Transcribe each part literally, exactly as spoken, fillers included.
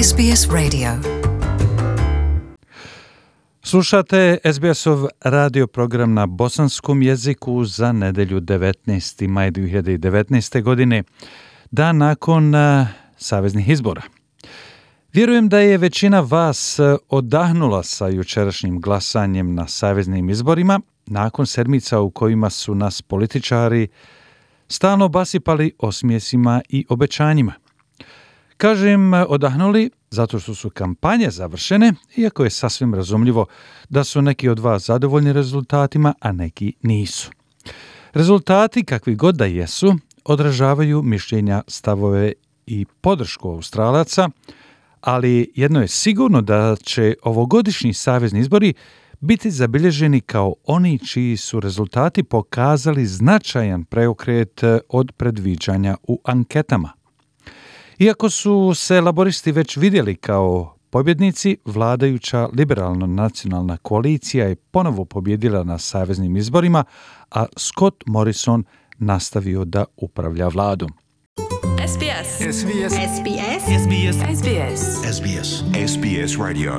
S B S Radio. Slušate S B S-ov radio program na bosanskom jeziku za nedelju devetnaesti maj dvije hiljade devetnaeste. godine, dan nakon uh, saveznih izbora. Vjerujem da je većina vas odahnula sa jučerašnjim glasanjem na saveznim izborima, nakon sedmica u kojima su nas političari stalno basipali osmijesima i obećanjima. Kažem odahnuli zato što su kampanje završene, iako je sasvim razumljivo da su neki od vas zadovoljni rezultatima, a neki nisu. Rezultati, kakvi god da jesu, odražavaju mišljenja, stavove i podršku Australaca, ali jedno je sigurno da će ovogodišnji savezni izbori biti zabilježeni kao oni čiji su rezultati pokazali značajan preokret od predviđanja u anketama. Iako su se laboristi već vidjeli kao pobjednici, vladajuća liberalno-nacionalna koalicija je ponovo pobjedila na saveznim izborima, a Scott Morrison nastavio da upravlja vladom. S B S. S B S. S B S. S B S. S B S. S B S. S B S Radio.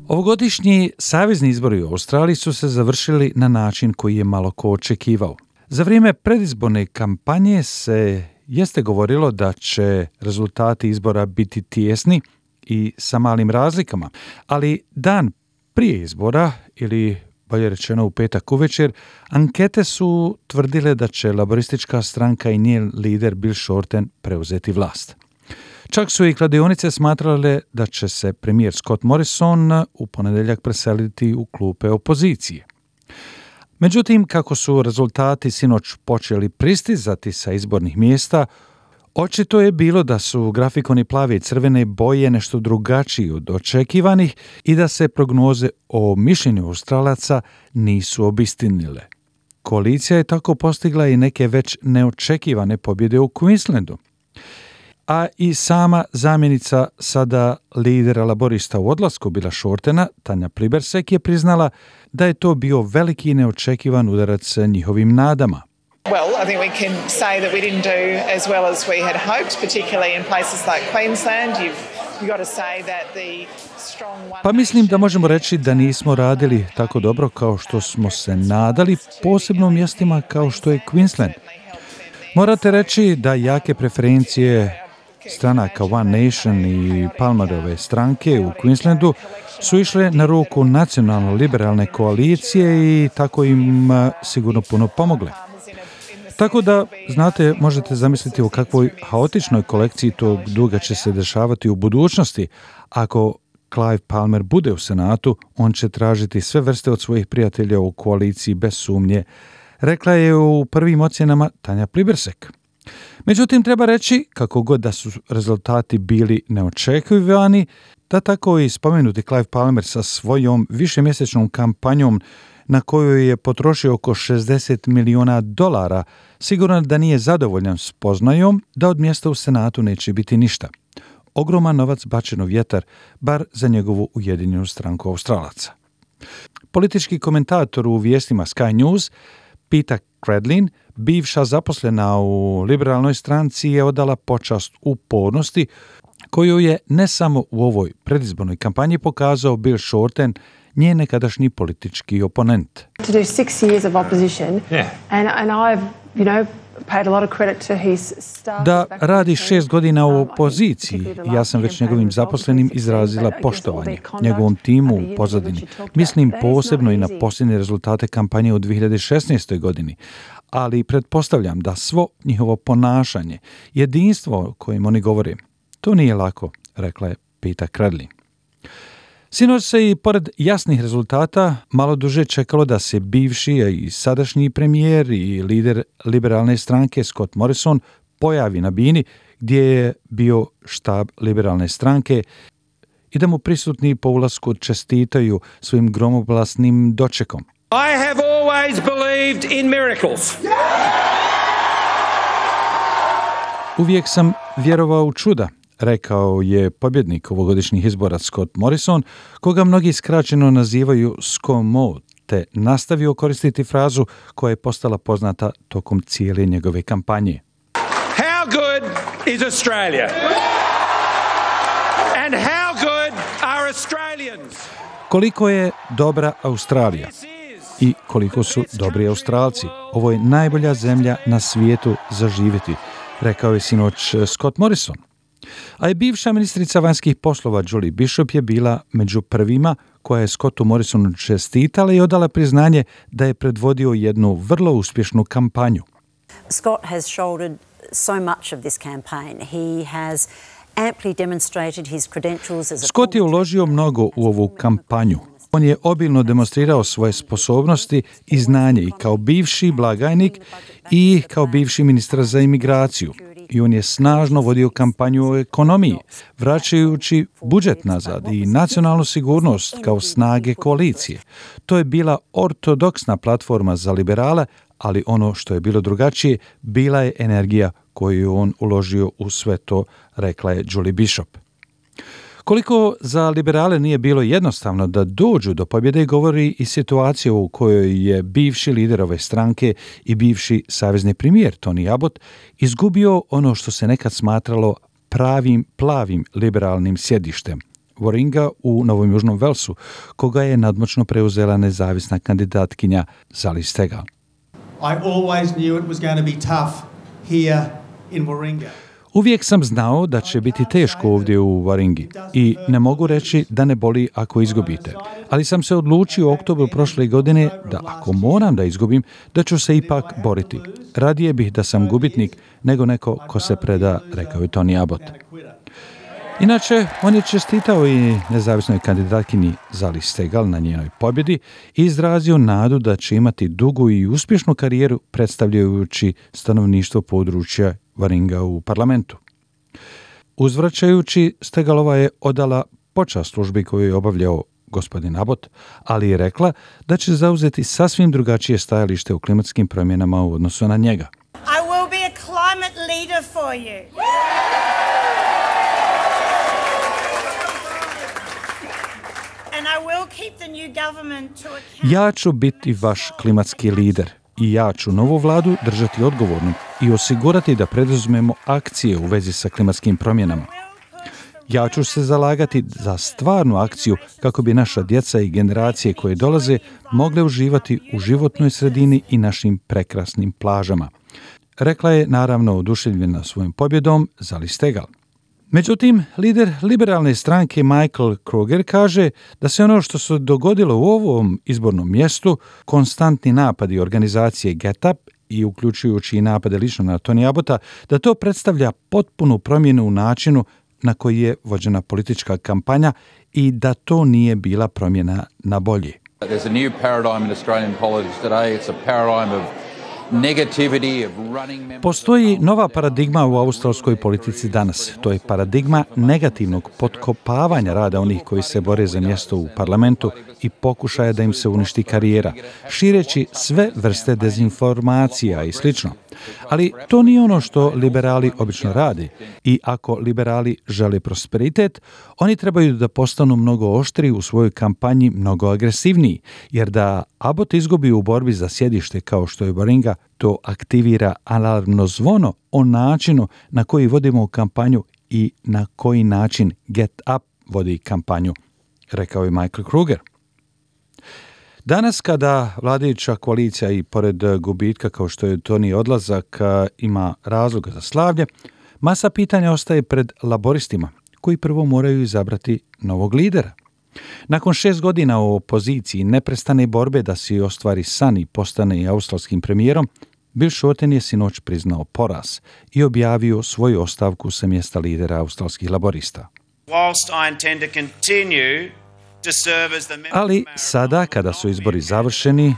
Ovogodišnji savezni izbori u Australiji su se završili na način koji je malo ko očekivao. Za vrijeme predizborne kampanje se jeste govorilo da će rezultati izbora biti tijesni i sa malim razlikama, ali dan prije izbora, ili bolje rečeno u petak uvečer, ankete su tvrdile da će laboristička stranka i njen lider Bill Shorten preuzeti vlast. Čak su i kladionice smatrale da će se premijer Scott Morrison u ponedjeljak preseliti u klupe opozicije. Međutim, kako su rezultati sinoć počeli pristizati sa izbornih mjesta, očito je bilo da su grafikoni plave i crvene boje nešto drugačiji od očekivanih i da se prognoze o mišljenju Australaca nisu obistinile. Koalicija je tako postigla i neke već neočekivane pobjede u Queenslandu. A i sama zamjenica sada lidera laborista u odlasku Billa Shortena, Tanja Plibersek, je priznala da je to bio veliki i neočekivan udarac njihovim nadama. Well, I think we can say that we didn't do as well as we had hoped, particularly in places like Queensland. You've, you've got to say that the strong one... Pa mislim da možemo reći da nismo radili tako dobro kao što smo se nadali, posebno u mjestima kao što je Queensland. Morate reći da jake preferencije stranaka One Nation i Palmerove stranke u Queenslandu su išle na ruku nacionalno-liberalne koalicije i tako im sigurno puno pomogle. Tako da, znate, možete zamisliti u kakvoj haotičnoj kolekciji tog duga će se dešavati u budućnosti. Ako Clive Palmer bude u Senatu, on će tražiti sve vrste od svojih prijatelja u koaliciji bez sumnje, rekla je u prvim ocjenama Tanja Plibersek. Međutim, treba reći, kako god da su rezultati bili neočekivani, da tako i spomenuti Clive Palmer sa svojom višemjesečnom kampanjom na kojoj je potrošio oko šezdeset milijuna dolara, sigurno da nije zadovoljan spoznajom da od mjesta u Senatu neće biti ništa. Ogroman novac bačen u vjetar, bar za njegovu ujedinjenu stranku Australaca. Politički komentator u vijestima Sky News, Peter Cradlin, bivša zaposlena u liberalnoj stranci, je odala počast upornosti koju je ne samo u ovoj predizbornoj kampanji pokazao Bill Shorten, njen nekadašnji politički oponent. To do six years of opposition, Yeah. and and I've, you know, paid a lot of credit to his staff. Da radi šest godina u opoziciji, ja sam već njegovim zaposlenim izrazila poštovanje, njegovom timu u pozadini. Mislim posebno i na posljednje rezultate kampanje u dvije hiljade šesnaestoj. godini, ali pretpostavljam da svo njihovo ponašanje, jedinstvo o kojem oni govore, to nije lako, rekla je Peter Cradlin. Sinoć se i pored jasnih rezultata malo duže čekalo da se bivši i sadašnji premijer i lider liberalne stranke Scott Morrison pojavi na bini gdje je bio štab liberalne stranke i da mu prisutni po ulasku čestitaju svojim gromoglasnim dočekom. I have always believed in miracles. Uvijek sam vjerovao u čuda, rekao je pobjednik ovogodišnjih izbora Scott Morrison, koga mnogi skraćeno nazivaju ScoMo, te nastavio koristiti frazu koja je postala poznata tokom cijele njegove kampanje. How good is Australia? Koliko je dobra Australija i koliko su dobri Australci. Ovo je najbolja zemlja na svijetu za živjeti, rekao je sinoć Scott Morrison. A je bivša ministrica vanjskih poslova Julie Bishop je bila među prvima koja je Scottu Morrisonu čestitala i odala priznanje da je predvodio jednu vrlo uspješnu kampanju. Scott has shouldered so much of this campaign. He has amply demonstrated his credentials as a Scott je uložio mnogo u ovu kampanju. On je obilno demonstrirao svoje sposobnosti i znanje i kao bivši blagajnik i kao bivši ministar za imigraciju. I on je snažno vodio kampanju o ekonomiji, vraćajući budžet nazad i nacionalnu sigurnost kao snage koalicije. To je bila ortodoksna platforma za liberale, ali ono što je bilo drugačije, bila je energija koju je on uložio u sve to, rekla je Julie Bishop. Koliko za liberale nije bilo jednostavno da dođu do pobjede, govori i situacija u kojoj je bivši lider ove stranke i bivši savezni premijer Tony Abbott izgubio ono što se nekad smatralo pravim plavim liberalnim sjedištem, Warringa u Novom Južnom Velsu, koga je nadmoćno preuzela nezavisna kandidatkinja Sally Steggall. I always knew it was going to be tough here in Warringa. Uvijek sam znao da će biti teško ovdje u Warringi i ne mogu reći da ne boli ako izgubite. Ali sam se odlučio u oktobru prošle godine da ako moram da izgubim, da ću se ipak boriti. Radije bih da sam gubitnik nego neko ko se preda, rekao je Tony Abbott. Inače, on je čestitao i nezavisnoj kandidatkinji Sally Steggall na njenoj pobjedi i izrazio nadu da će imati dugu i uspješnu karijeru predstavljajući stanovništvo područja Warringa u parlamentu. Uzvraćajući, Steggallova je odala počast službi koju je obavljao gospodin Abbott, ali je rekla da će zauzeti sasvim drugačije stajalište u klimatskim promjenama u odnosu na njega. I will be a climate leader for you. And I will keep the new government to account. Ja ću biti vaš klimatski lider i ja ću novu vladu držati odgovornom i osigurati da preduzmemo akcije u vezi sa klimatskim promjenama. Ja ću se zalagati za stvarnu akciju kako bi naša djeca i generacije koje dolaze mogle uživati u životnoj sredini i našim prekrasnim plažama. Rekla je naravno oduševljena svojom pobjedom Sally Steggall. Međutim, lider liberalne stranke Michael Kruger kaže da se ono što se dogodilo u ovom izbornom mjestu, konstantni napadi organizacije Get Up i uključujući i napade lično na Tony Abbotta, da to predstavlja potpunu promjenu u načinu na koji je vođena politička kampanja i da to nije bila promjena na bolje. There's a new paradigm in Australian politics today. It's a paradigm of negativity, of running members. Postoji nova paradigma u australskoj politici danas. To je paradigma negativnog potkopavanja rada onih koji se bore za mjesto u parlamentu i pokušaja da im se uništi karijera, šireći sve vrste dezinformacija i slično. Ali to nije ono što liberali obično rade i ako liberali žele prosperitet, oni trebaju da postanu mnogo oštriji u svojoj kampanji, mnogo agresivniji, jer da Abbott izgubi u borbi za sjedište kao što je Warringa, to aktivira alarmno zvono o načinu na koji vodimo kampanju i na koji način Get Up vodi kampanju, rekao je Michael Kruger. Danas kada vladajuća koalicija i pored gubitka kao što je Tony odlazak ima razloga za slavlje, masa pitanja ostaje pred laboristima koji prvo moraju izabrati novog lidera. Nakon šest godina u opoziciji neprestane borbe da se ostvari san i postane australskim premijerom, Bill Shorten je sinoć priznao poraz i objavio svoju ostavku sa mjesta lidera australskih laborista. Ali sada, kada su izbori završeni,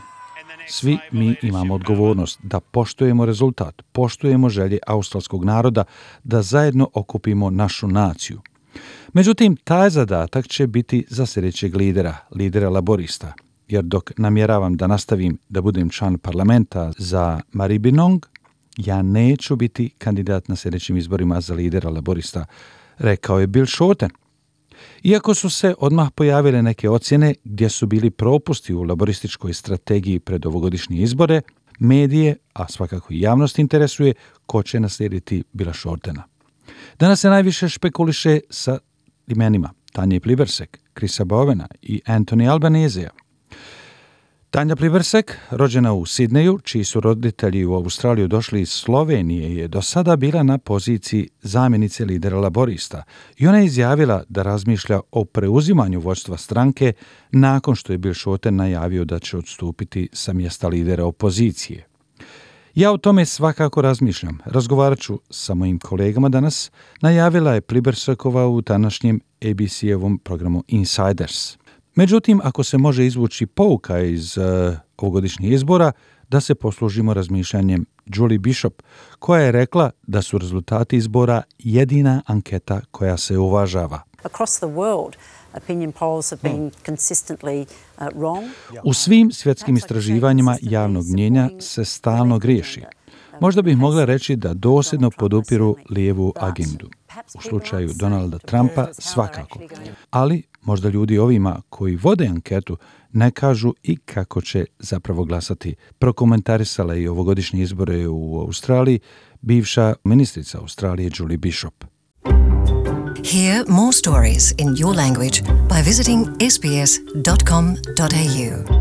svi mi imamo odgovornost da poštujemo rezultat, poštujemo želje australskog naroda da zajedno okupimo našu naciju. Međutim, taj zadatak će biti za sljedećeg lidera, lidera laborista, jer dok namjeravam da nastavim da budem član parlamenta za Maribyrnong, ja neću biti kandidat na sljedećim izborima za lidera laborista, rekao je Bill Shorten. Iako su se odmah pojavile neke ocjene gdje su bili propusti u laborističkoj strategiji pred ovogodišnje izbore, medije, a svakako i javnost interesuje ko će naslijediti Billa Shortena. Danas se najviše špekuliše sa imenima Tanje Plibersek, Chrisa Bowena i Anthony Albanesea. Tanja Plibersek, rođena u Sidneju, čiji su roditelji u Australiju došli iz Slovenije, je do sada bila na poziciji zamjenice lidera laborista i ona je izjavila da razmišlja o preuzimanju vođstva stranke nakon što je Bill Shorten najavio da će odstupiti sa mjesta lidera opozicije. Ja o tome svakako razmišljam. Razgovarat ću sa mojim kolegama danas, najavila je Plibersekova u današnjem A B C-evom programu Insiders. Međutim, ako se može izvući pouka iz uh, ovogodišnjih izbora, da se poslužimo razmišljanjem Julie Bishop, koja je rekla da su rezultati izbora jedina anketa koja se uvažava. Across the world, opinion polls have been consistently uh, wrong. U svim svjetskim istraživanjima javnog mnjenja se stalno griješi. Možda bih mogla reći da dosljedno podupiru lijevu agendu. U slučaju Donalda Trumpa svakako. Ali možda ljudi ovima koji vode anketu ne kažu i kako će zapravo glasati. Prokomentarisala je i ovogodišnje izbore u Australiji bivša ministrica Australije Julie Bishop. Hear more stories in your language by visiting s b s dot com dot a u.